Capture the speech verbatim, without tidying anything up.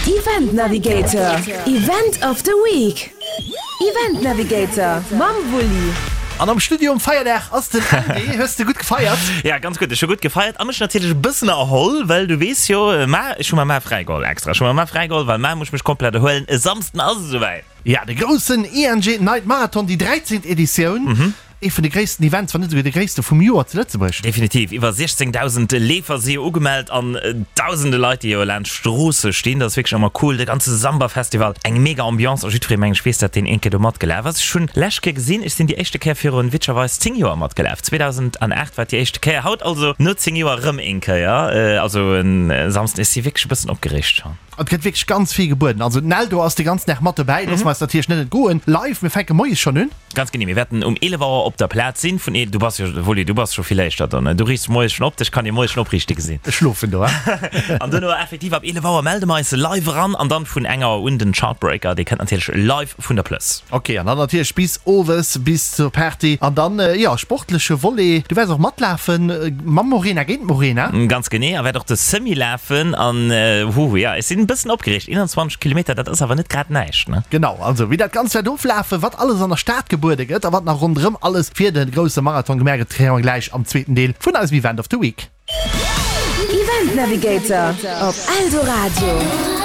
Event Navigator, Event of the Week. Event Navigator mam Wulli. An am Studio um Feierdag ass den Andy. Hues de gutt gefeiert? Ja, ganz gutt. Ech hu gutt gefeiert a mech natierlech e bëssen erholl, well du weess jo, mar, ech hu mer mar fräi geholl extra. Ech hu mer mar fräi geholl, well mar muss ech mech komplett erhuelen. E Samsden ass et esouwäit. Ja, de groussen I N G Night Marathon, déi dräizéngt Editioun. Ee vun de gréissten Events, wann net esouguer de gréisste vum Joer zu Lëtzebuerg. Definitiv. Iwwer siechzéngdausend Leefer si jo ugemellt an dausende Leit, déi jo laanscht d'Stroosse stinn. Dat ass wierklech ëmmer cool. De ganze Samba-Festival, eng mega Ambiance a jiddweree, mengen ech, weess dat, deen een Kéier do matgelaf ass. Ech hunn lescht Kéier gesinn, ech sinn déi éischte Kéier virun witzegerweis zéng Joer matgelaf. zweedausendacht war et déi éischte Kéier. Haut also no zéng Joer erëm een Kéier. Also en Samsden, ech si wierklech e bëssen opgereegt schonn. Et gëtt wierklech ganz vill gebueden. Also d'Neldo ass de ganzen Dag mat dobäi, loosse mer eis natierlech net entgoen. Live, mir fänke moies schonn un. Ganz genee, mir wäerten um eelef Auer op der Plaz sinn. Vun du bass jo, Wulli, du bass scho vill éischter do, ne? Du riichts moies schonn op, dech kann ee moies schonn opriichte gesinn. Ech schlofen do, An duerno effektiv ab eelef Auer melde mer eis live eran an dann vun eng Auer un den Chartbreaker, dee kënnt natierlech live vun der Plëss. Ok, an dann natierlech bis owes, bis zur Party. An dann, jo, sportleche Volet, du wäerts och matlafen, mam Morena, géint d'Morena. Ganz genee, a wäert och de Semi lafen an, hu, jo, ech sinn e bëssen opgereegt. eenanzwanzeg Kilometer, dat ass awer net grad näischt, ne? Genau, also wéi dat Ganzt wäert oflafen, wat alles an der Stad gebuede gëtt a wat nach ronderëm alles fir de grousse Marathon gemaach gëtt, kréie mer gläich am zweeten Deel vun eisem Event of the Week. Event Navigator op Eldoradio.